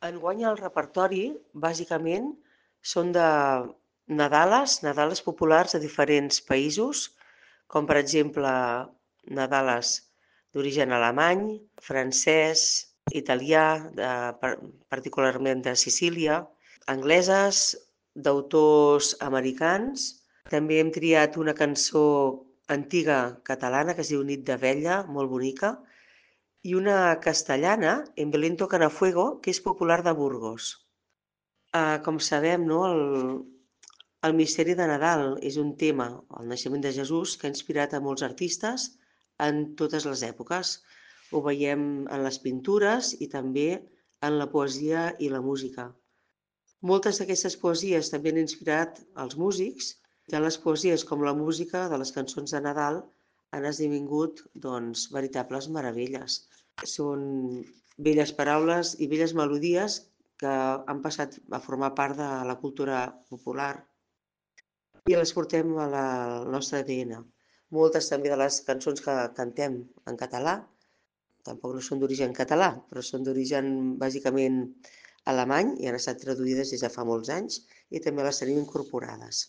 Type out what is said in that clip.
Enguany el repertori, bàsicament, són de nadales populars de diferents països, com per exemple nadales d'origen alemany, francès, italià, particularment de Sicília, angleses, d'autors americans. També hem triat una cançó antiga catalana que es diu Nit d'Abella, molt bonica, i una castellana, En Belén tocan a fuego, que és popular de Burgos. Com sabem, no, el misteri de Nadal és un tema, el naixement de Jesús, que ha inspirat a molts artistes en totes les èpoques. Ho veiem en les pintures i també en la poesia i la música. Moltes d'aquestes poesies també han inspirat els músics. Tant les poesies com la música de les cançons de Nadal han esdevingut, doncs, veritables meravelles. Són belles paraules i belles melodies que han passat a formar part de la cultura popular i les portem al nostre ADN. Moltes també de les cançons que cantem en català, tampoc no són d'origen català, però són d'origen bàsicament alemany i han estat traduïdes des de fa molts anys i també les tenim incorporades.